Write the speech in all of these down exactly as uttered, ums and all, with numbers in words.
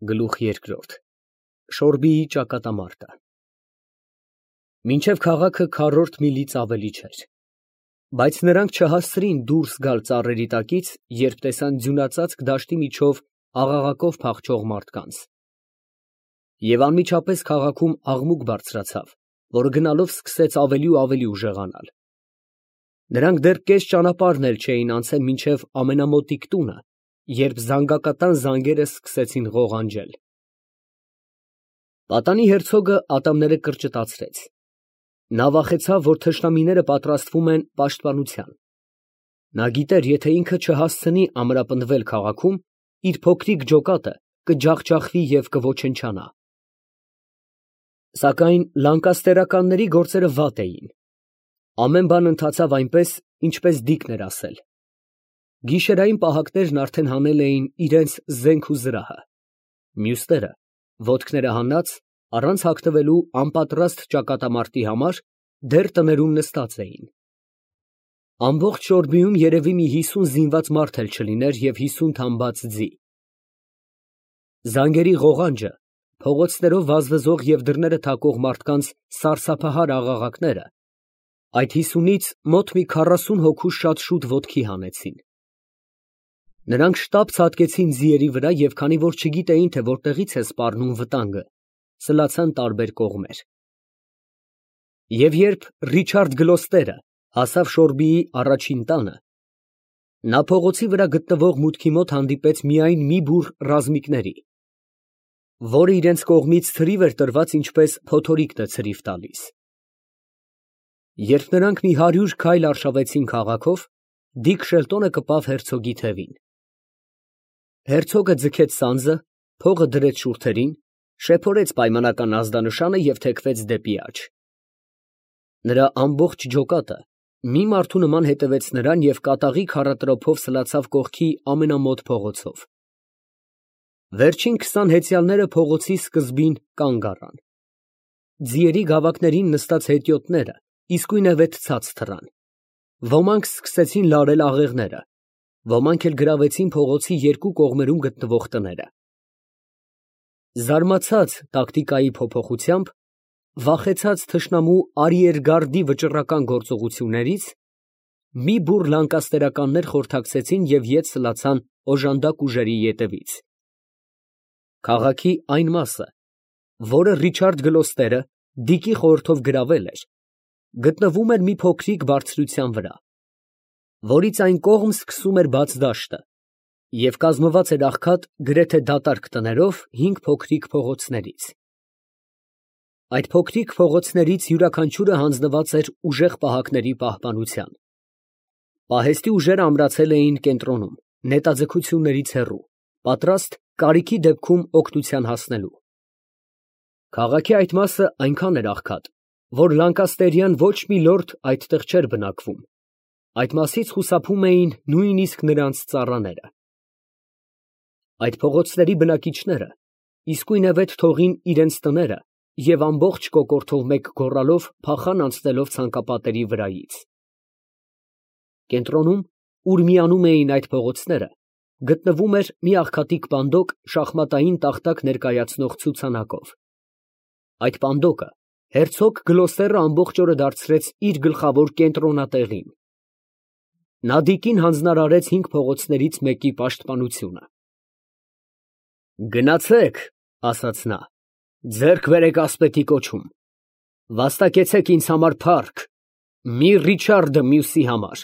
Գլուխ երկրորդ Շորբիի ճակատամարտը Մինչև քաղաքը քառորդ միլից ավելի չէր, բայց նրանք չհասցրին դուրս գալ ծառերի տակից, երբ տեսան ձյունածածկ դաշտի միջով աղաղակով փախչող մարդկանց։ Եվ անմիջապես քաղաքում աղմուկ բարձրացավ, որը գնալով սկսեց ավելի ու ավելի ուժեղանալ։ Նրանք դեռ կես ճանապարհն էլ չէին անցել մինչև ամենամոտիկ տունը, երբ զանգակատան զանգերը սկսեցին ղողանջել։ Պատանի հերցոգը ատամները կրճտացրեց։ Նա վախեցավ, որ թշնամիները պատրաստվում են պաշտպանության։ Նա գիտեր, եթե ինքը չհասցնի ամրապնդվել քաղաքում, իր փոքրիկ ջոկատը կջախջախվի և կոչնչանա։ Սակայն լանկաստերականների գործերը վատ էին։ Ամեն բան ընթացավ այնպես, ինչպես Դիկն էր ասել։ Գիշերային պահակներն արդեն հանել էին իրենց զենք ու զրահը, մյուսները, ոտքները հանած, առանց հագնվելու անպատրաստ ճակատամարտի համար, դեռ տներում նստած էին։ Ամբողջ Շորբիում երևի մի հիսուն զինված մարդ էլ չլիներ և հիսուն թամբած ձի։ Զանգերի ղողանջը, փողոցներով վազվզող և դռները թակող մարդկանց սարսափահար աղաղակները այդ հիսունից մոտ մի քառասուն հոգու շատ շուտ ոտքի հանեցին։ Նրանք շտապ ցատկեցին ձիերի վրա և քանի որ չգիտեին, թե որտեղից է սպառնում վտանգը, սլացան տարբեր կողմեր։ Եվ երբ Ռիչարդ Գլոստերը հասավ Շորբիի առաջին տանը, նա փողոցի վրա գտնվող մուտքի մոտ հանդիպեց միայն մի բուռ ռազմիկների, որը իրենց կողմից ցրիվ էր տրված, ինչպես փոթորիկն է ցրիվ տալիս։ Երբ նրանք մի հարյուր քայլ արշավեցին քաղաքով, Դիկ Շելտոնը կպավ հերցոգի թևին։ Հերցոգը ձգեց սանձը, փողը դրեց շուրթերին, շեփորեց պայմանական ազդանշանը և թեքվեց դեպի աջ։ Նրա ամբողջ ջոկատը մի մարդու նման հետևեց նրան և կատաղի քառատրոփով սլացավ կողքի ամենամոտ փողոցով։ Վերջին քսան հեծյալները փողոցի սկզբին կանգ առան։ Ձիերի գավակներին նստած հետիոտները իսկույնևեթ ցած թռան։ Ոմանք սկսեցին լարել աղեղները, ոմանք էլ գրավեցին փողոցի երկու կողմերում գտնվող տները։ Զարմացած տակտիկայի փոփոխությամբ, վախեցած թշնամու արիերգարդի վճռական գործողություններից, մի բուռ լանկաստերականներ խորհրդակցեցին և ետ սլացան օժանդակ ուժերի ետևից։ Քաղաքի այն մասը, որը Ռիչարդ Գլոստերը Դիկի խորհրդով գրավել էր, գտնվում էր մի փոքրիկ բարձրության վրա, որից այն կողմ սկսում էր բաց դաշտը և կազմված էր աղքատ գրեթե դատարկ տներով հինգ փոքրիկ փողոցներից։ Այդ փոքրիկ փողոցներից յուրաքանչյուրը հանձնված էր ուժեղ պահակների պահպանության։ Պահեստի ուժերը ամրացել էին կենտրոնում, նետաձգություններից հեռու, պատրաստ կարիքի դեպքում օգնության հասնելու։ Քաղաքի այդ մասը այնքան էր աղքատ, որ լանկաստերյան ոչ մի լորդ այդտեղ չէր բնակվում, այդ մասից խուսափում էին նույնիսկ նրանց ծառաները։ Այդ փողոցների բնակիչները իսկույնևեթ թողին իրենց տները և ամբողջ կոկորդով մեկ գոռալով փախան անցնելով ցանկապատերի վրայից։ Կենտրոնում, ուր միանում էին այդ փողոցները, գտնվում էր մի աղքատիկ պանդոկ շախմատային տախտակ ներկայացնող ցուցանակով։ Այդ պանդոկը հերցոգ Գլոստերը ամբողջ օրը դարձրեց իր գլխավոր կենտրոնատեղին։ Նա Դիկին հանձնարարեց հինգ փողոցներից մեկի պաշտպանությունը։ «Գնացեք, ֊ ասաց նա, ֊ ձեռք բերեք ասպետի կոչում, վաստակեցեք ինձ համար փառք, մի Ռիչարդը մյուսի համար։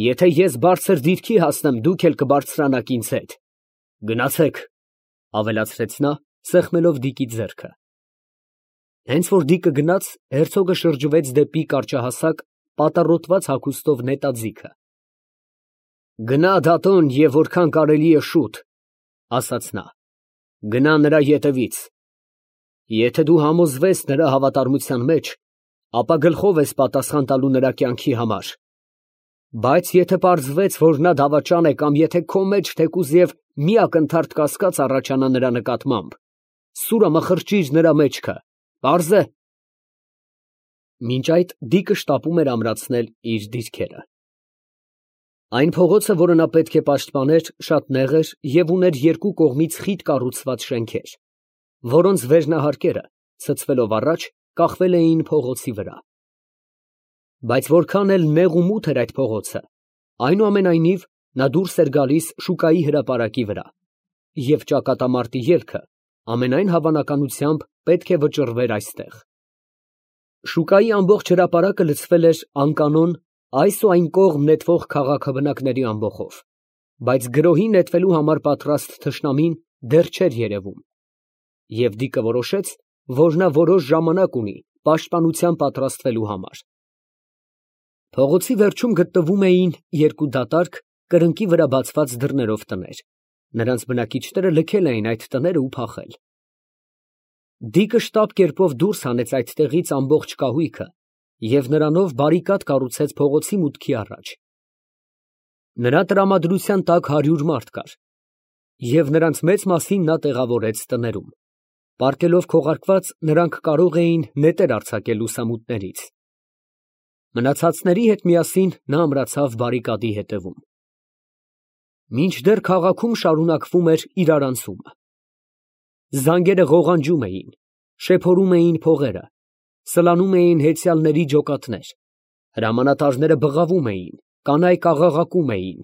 Եթե ես բարձր դիրքի հասնեմ, դուք էլ կբարձրանաք ինձ հետ։ Գնացեք, ֊ ավելացրեց նա, սեղմելով Դիկի ձեռքը։ Հենց որ Դիկը գնաց, հերցոգը շրջվեց դեպի կարճահասակ, պատառոտված հագուստով նետաձիգը։ «Գնա դատոն և որքան կարելի է շուտ, ֊ ասաց նա, ֊ գնա նրա ետևից։ Եթե դու համոզվես նրա հավատարմության մեջ, ապա գլխով ես պատասխան տալու նրա կյանքի համար, բայց եթե պարզվեց, որ նա դավաճան է կամ եթե քո մեջ թեկուզև մի ակնթարթ կասկած առաջանա նրա նկատմամբ, սուրը մխրճիր նրա մեջքը, պարզ է»։ Մինչ այդ Դիկը շտապում էր ամրացնել իր դիրքերը։ Այն փողոցը, որը նա պետք է պաշտպաներ, շատ նեղ էր և ուներ երկու կողմից խիտ կառուցված շենքեր, որոնց վերնահարկերը, ցցվելով առաջ, կախվել էին փողոցի վրա։ Բայց որքան էլ նեղ ու մութ էր այդ փողոցը, այնուամենայնիվ նա դուրս էր գալիս շուկայի հրապարակի վրա, և ճակատամարտի ելքը ամենայն հավանականությամբ պետք է վճռվեր այստեղ։ Շուկայի ամբողջ հրապարակը լցվել էր անկանոն այս ու այն կողմ նետվող քաղաքաբնակների ամբոխով, բայց գրոհի նետվելու համար պատրաստ թշնամին դեռ չէր երևում, և Դիկը որոշեց, որ նա որոշ ժամանակ ունի պաշտպանության պատրաստվելու համար։ Փողոցի վերջում գտնվում էին երկու դատարկ, կրկնակի վրա բացված դռներով տներ, նրանց բնակիչները լքել էին այդ տները ու փախել։ Դիկը շտապ կերպով դուրս հանեց այդտեղից ամբողջ կահույքը և նրանով բարիկադ կառուցեց փողոցի մուտքի առաջ։ Նրա տրամադրության տակ հարյուր մարդ կար, և նրանց մեծ մասին նա տեղավորեց տներում։ Պառկելով քողարկված, նրանք կարող էին նետեր արձակել լուսամուտներից։ Մնացածների հետ միասին նա ամրացավ բարիկադի ետևում։ Մինչդեռ քաղաքում շարունակվում էր իրարանցումը։ Զանգերը ղողանջում էին, շեփորում էին փողերը, սլանում էին հեծյալների ջոկատներ, հրամանատարները բղավում էին, կանայք աղաղակում էին,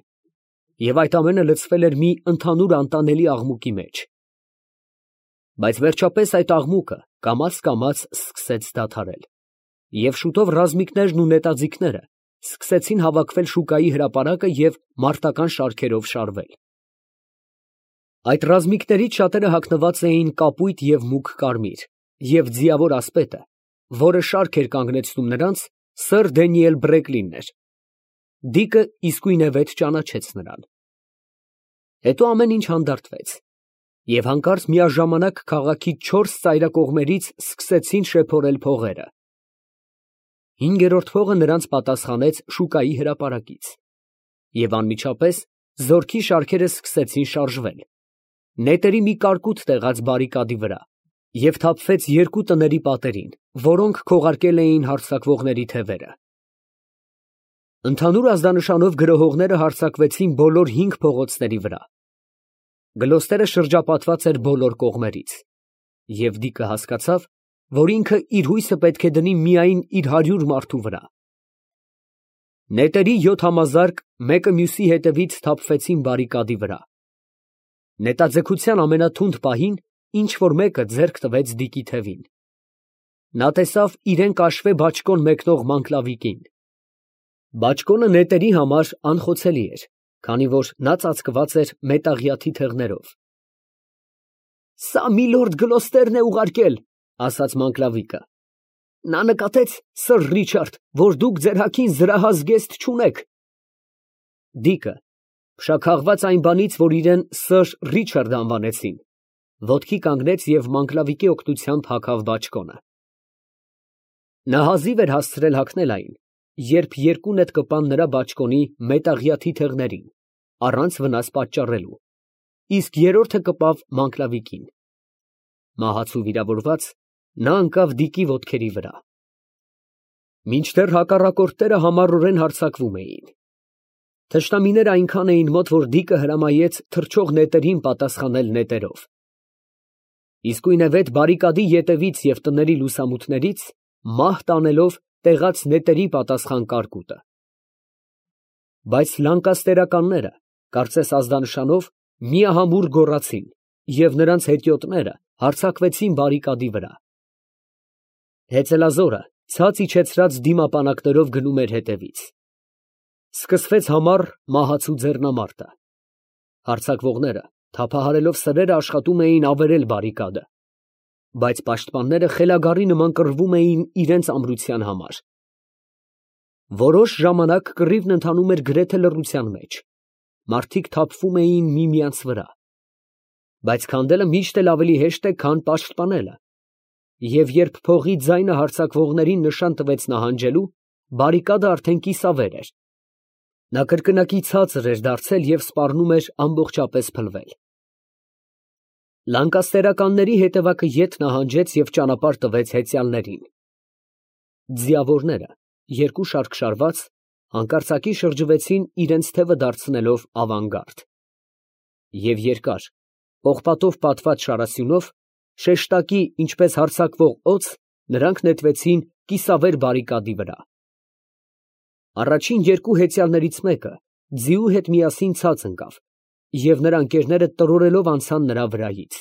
և այդ ամենը լցվել էր մի ընդհանուր անտանելի աղմուկի մեջ։ Բայց վերջապես այդ աղմուկը կամաց֊կամաց սկսեց դադարել, և շուտով ռազմիկներն ու նետաձիգները սկսեցին հավաքվել շուկայի հրապարակը և մարտական շարքերով շարվել։ Այդ ռազմիկներից շատերը հագնված էին կապույտ և մուգ կարմիր, և ձիավոր ասպետը, որը շարք էր կանգնեցնում նրանց, սըր Դենիել Բրեկլինն էր։ Դիկը իսկույնևեթ ճանաչեց նրան։ Հետո ամեն ինչ հանդարտվեց, և հանկարծ միաժամանակ քաղաքի չորս ծայրակողմերից սկսեցին շեփորել փողերը։ Հինգերորդ փողը նրանց պատասխանեց շուկայի հրապարակից, և անմիջապես զորքի շարքերը սկսեցին շարժվել, նետերի մի կարկուտ տեղաց բարիկադի վրա, և թափվեց երկու տների պատերին, որոնք քողարկել էին հարձակվողների թևերը։ Ընդհանուր ազդանշանով գրոհողները հարձակվեցին բոլոր հինգ փողոցների վրա։ Գլոստերը շրջապատված էր բոլոր կողմերից, և Դիկը հասկացավ, որ ինքը իր հույսը պետք է դնի միայն իր հարյուր մարդու վրա։ Նետերի յոթ համազարկ մեկը մյուսի հետևից թափվեցին բարիկադի վրա։ Նետաձգության ամենաթունդ պահին ինչ֊որ մեկը ձեռք տվեց Դիկի թևին։ Նա տեսավ իրան կաշվե բաճկոն մեկնող Մանգլավիկին։ Բաճկոնը նետերի համար անխոցելի էր, քանի որ նա ծածկված էր մետաղյա թիթեղներով։ «Սա միլորդ Գլոստերն է ուղարկել», ֊ ասաց Մանգլավիկը։ «Նա նկատեց, սըր Ռիչարդ, որ դուք ձեր հագին զրահազգեստ չունեք»։ Դիկը, փշաքաղված այն բանից, որ իրան սըր Ռիչարդ անվանեցին, ոտքի կանգնեց և Մանգլավիկի օգնությամբ հագավ բաճկոնը։ Նա հազիվ էր հասցրել հագնել այն, երբ երկու նետ կպան նրա բաճկոնի մետաղյա թիթեղներին, առանց վնաս պատճառելու, իսկ երրորդը կպավ Մանգլավիկին։ Մահաց ու վիրավորված, նա ընկավ Դիկի ոտքերի վրա։ Մինչդեռ հակառակորդները համառորեն հարձակվում էին։ Թշնամիները այնքան էին մոտ, որ Դիկը հրամայեց թռչող նետերին պատասխանել նետերով։ Իսկույնևեթ բարիկադի ետևից և տների լուսամուտներից մահ տանելով տեղաց նետերի պատասխան կարկուտը։ Բայց լանկաստերականները, կարծես ազդանշանով, միահամուռ գոռացին, և նրանց հետիոտները հարձակվեցին բարիկադի վրա։ Հեծելազորը ցած իջեցրած դիմապանակներով գնում էր հետևից։ Սկսվեց համառ մահացու ձեռնամարտը։ Հարձակվողները թափահարելով սրերը աշխատում էին ավերել բարիկադը, բայց պաշտպանները խելագարի նման կռվում էին իրենց ամրության համար։ Որոշ ժամանակ կռիվն ընթանում էր գրեթե լռության մեջ, մարդիկ թափվում էին միմյանց վրա, բայց քանդելը միշտ էլ ավելի հեշտ է, քան պաշտպանելը, և երբ փողի ձայնը հարձակվողներին նշան տվեց նահանջելու, բարիկադը արդեն կիսավեր էր։ Նա կրկնակի ցածր էր դարձել և սպառնում էր ամբողջապես փլվել։ Լանկաստերականների հետևակը ետ նահանջեց և ճանապարհ տվեց հեծյալներին։ Ձիավորները, երկու շարք շարված, Հանկարծակի շրջվեցին իրենց թևը դարձնելով ավանգարդ։ Եվ երկար, պողպատով պատված շարասյունով, շեշտակի, ինչպես հարձակվող օձ, նրանք նետվեցին կիսավեր բարիկադի վրա։ Առաջին երկու հեծյալներից մեկը ձիու հետ միասին ցած ընկավ, և նրա ընկերները տրորելով անցան նրա վրայից։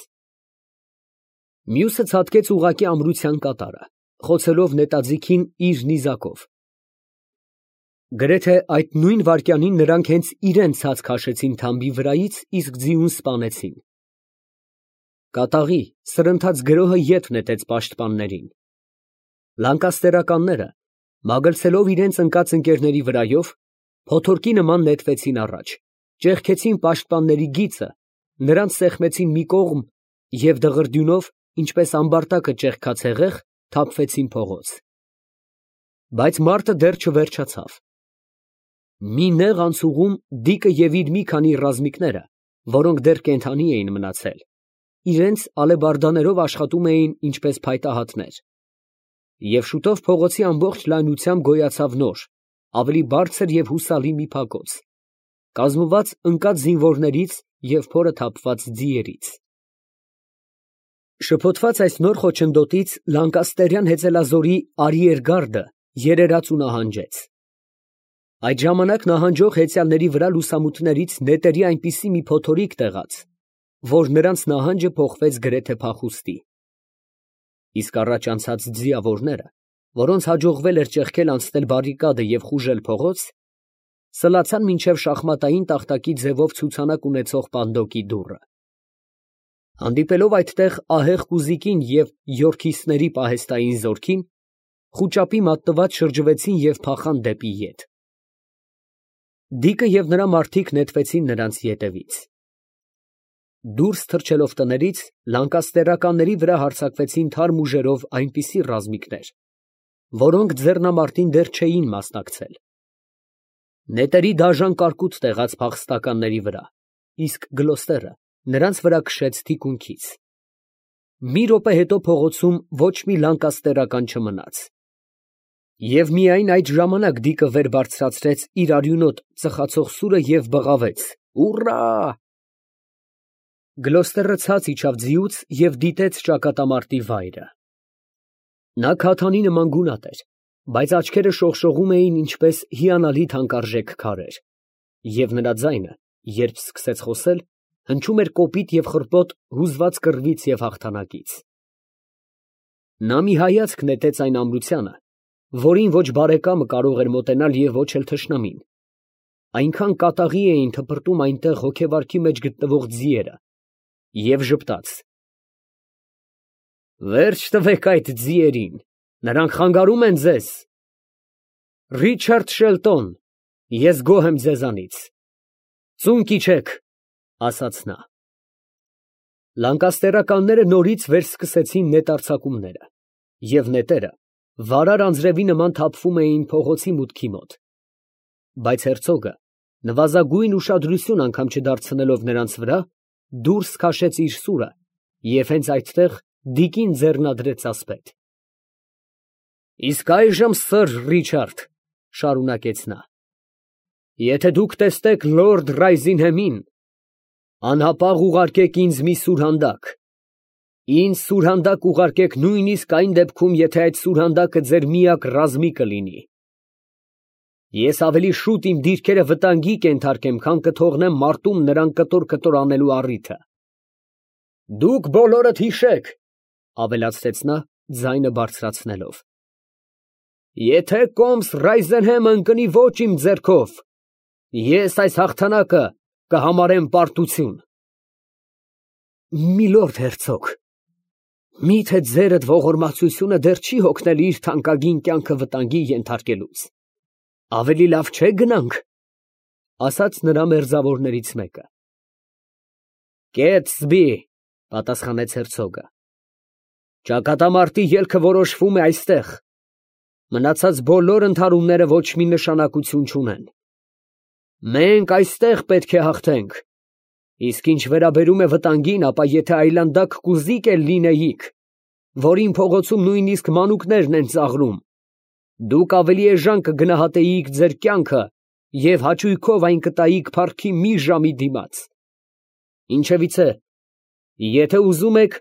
Մյուսը ցատկեց ուղղակի ամրության կատարը, խոցելով նետաձիգին իր նիզակով։ Գրեթե այդ նույն վայրկյանին նրանք հենց իրենց ցած քաշեցին թամբի վրայից, իսկ ձիուն սպանեցին։ Կատաղի, սրընթաց գրոհը ետ նետեց պաշտպաններին։ Լանկաստերականները, մագլցելով իրենց ընկած ընկերների վրայով, փոթորկի նման նետվեցին առաջ, ճեղքեցին պաշտպանների գիծը, նրանց սեղմեցին մի կողմ և դղրդյունով, ինչպես ամբարտակը ճեղքած հեղեղ, թափվեցին փողոց։ Բայց մարտը դեռ չվերջացավ։ Մի նեղ անցուղում Դիկը և իր մի քանի ռազմիկները, որոնք դեռ կենդանի էին մնացել, իրենց ալեբարդաներով աշխատում էին ինչպես փայտահատներ։ Եվ շուտով փողոցի ամբողջ լայնությամբ գոյացավ նոր, ավելի բարձր և հուսալի մի փակոց, կազմված ընկած զինվորներից և փորը թափված ձիերից։ Շփոթված այս նոր խոչընդոտից լանկաստերյան հեծելազորի արիերգարդը երերաց ու նահանջեց։ Այդ ժամանակ նահանջող հեծյալների վրա լուսամուտներից նետերի այնպիսի մի փոթորիկ տեղաց, որ նրանց նահանջը փոխվեց գրեթե փախուստի։ Իսկ առաջ անցած ձիավորները, որոնց հաջողվել էր ճեղքել անցնել բարիկադը և խուժել փողոց, սլացան մինչև շախմատային տախտակի ձևով ցուցանակ ունեցող պանդոկի դուռը։ Հանդիպելով այդտեղ ահեղ կուզիկին և յորքիստների պահեստային զորքին, խուճապի մատնված շրջվեցին և փախան դեպի ետ։ Դիկը և նրա մարդիկ նետվեցին նրանց ետևից։ Դուրս թռչելով տներից, լանկաստերականների վրա հարձակվեցին թարմ ուժերով այնպիսի ռազմիկներ, որոնք ձեռնամարտին դեռ չէին մասնակցել։ Նետերի դաժան կարկուտ տեղաց փախստականների վրա, իսկ Գլոստերը նրանց վրա քշեց թիկունքից։ Մի րոպե հետո փողոցում ոչ մի լանկաստերական չմնաց։ Եվ միայն այդ ժամանակ Դիկը վեր բարձրացրեց իր արյունոտ ծխացող սուրը և բղավեց. «Ուռա!» Գլոստերը ցած իջավ ձիուց և դիտեց ճակատամարտի վայրը։ Նա քաթանի նման գունատ էր, բայց աչքերը շողշողում էին ինչպես հիանալի թանկարժեք քարեր, և նրա ձայնը, երբ սկսեց խոսել, հնչում էր կոպիտ և խռպոտ հուզված կռվից և հաղթանակից։ Նա մի հայացք նետեց այն ամրությանը, որին ոչ բարեկամը կարող էր մոտենալ և ոչ էլ թշնամին, այնքան կատաղի էին թպրտում այնտեղ հոգեվարքի մեջ գտնվող ձիերը, և ժպտաց. «Վերջ տվեք այդ ձիերին, նրանք խանգարում են ձեզ»։ «Ռիչարդ Շելտոն, ես գոհ եմ ձեզանից, ծունկ իջեք», ասաց նա։ Լանկաստերականները նորից վերսկսեցին նետարձակումները, և նետերը վարար անձրևի նման թափվում էին փողոցի մուտքի մոտ։ Բայց հերցոգը, նվազագույն ուշադրություն անգամ չդարձնելով նրանց վրա, դուրս քաշեց իր սուրը և հենց այդտեղ Դիկին ձեռնադրեց ասպետ։ «Իսկ այժմ, սըր Ռիչարդ, ֊ շարունակեց նա, ֊ եթե դուք տեսնեք լորդ Ռայզինհեմին, անհապաղ ուղարկեք ինձ մի սուրհանդակ, ինձ սուրհանդակ ուղարկեք նույնիսկ այն դեպքում, եթե այդ սուրհանդակը ձեր միակ ռազմիկը լինի։ Ես ավելի շուտ իմ դիրքերը վտանգի կենթարկեմ, քան կթողնեմ մարտում նրան կտոր֊կտոր անելու առիթը։ Դուք բոլորդ հիշեք, ֊ ավելացրեց նա, ձայնը բարձրացնելով, ֊ եթե կոմս Ռայզենհեմը ընկնի ոչ իմ ձեռքով, ես այս հաղթանակը կհամարեմ պարտություն։ Միլորդ հերցոգ, մի՞թե ձերդ ողորմածությունը դեռ չի հոգնել իր թանկագին կյանքը վտանգի ենթարկելուց, ավելի լավ չէ՞ գնանք, ֊ ասաց նրա մերձավորներից մեկը։ Կեցբի, ֊ պատասխանեց հերցոգը, ֊ ճակատամարտի ելքը որոշվում է այստեղ, մնացած բոլոր ընդհարումները ոչ մի նշանակություն չունեն։ Մենք այստեղ պետք է հաղթենք, իսկ ինչ վերաբերում է վտանգին, ապա եթե այլանդակ կուզիկ էլ լինեիք, որին փողոցում նույնիսկ մանուկներն են ծաղրում, Դուք ավելի էժան կգնահատեիք ձեր կյանքը և հաճույքով այն կտայիք փառքի մի ժամի դիմաց։ Ինչևիցե, եթե ուզում եք,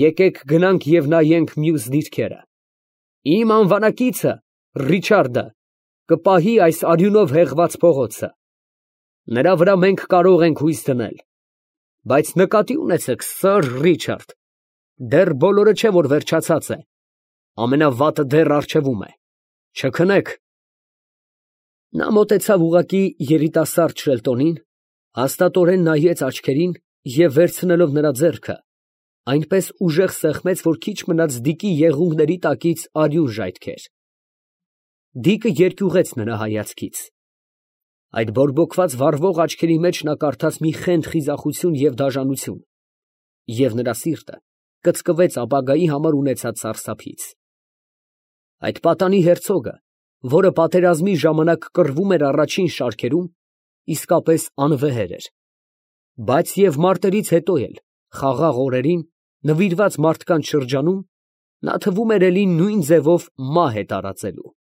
եկեք գնանք և նայենք մյուս դիրքերը. իմ անվանակիցը Ռիչարդը կպահի այս արյունով հեղված փողոցը. նրա վրա մենք կարող ենք հույս դնել, բայց նկատի ունեցեք, սըր Ռիչարդ, դեռ բոլորը չէ, որ վերջացած է, ամենավատը դեռ առջևում է, չքնեք։ Նա մոտեցավ ուղղակի երիտասարդ Շելտոնին, հաստատորեն նայեց աչքերին և վերցնելով նրա ձեռքը, այնպես ուժեղ սեղմեց, որ քիչ մնաց Դիկի եղունգների տակից արյուն ժայթքեր։ Դիկը երկյուղեց նրա հայացքից։ Այդ բորբոքված վառվող աչքերի մեջ նա կարդաց մի խենթ խիզախություն և դաժանություն, և նրա սիրտը կծկվեց ապագայի համար ունեցած սարսափից։ Այդ պատանի հերցոգը, որը պատերազմի ժամանակ կռվում էր առաջին շարքերում, իսկապես անվեհեր էր, բայց և մարտերից հետո էլ, խաղաղ օրերին, նվիրված մարդկանց շրջանում, նա թվում էր էլի նույն ձևով մահ է տարածելու։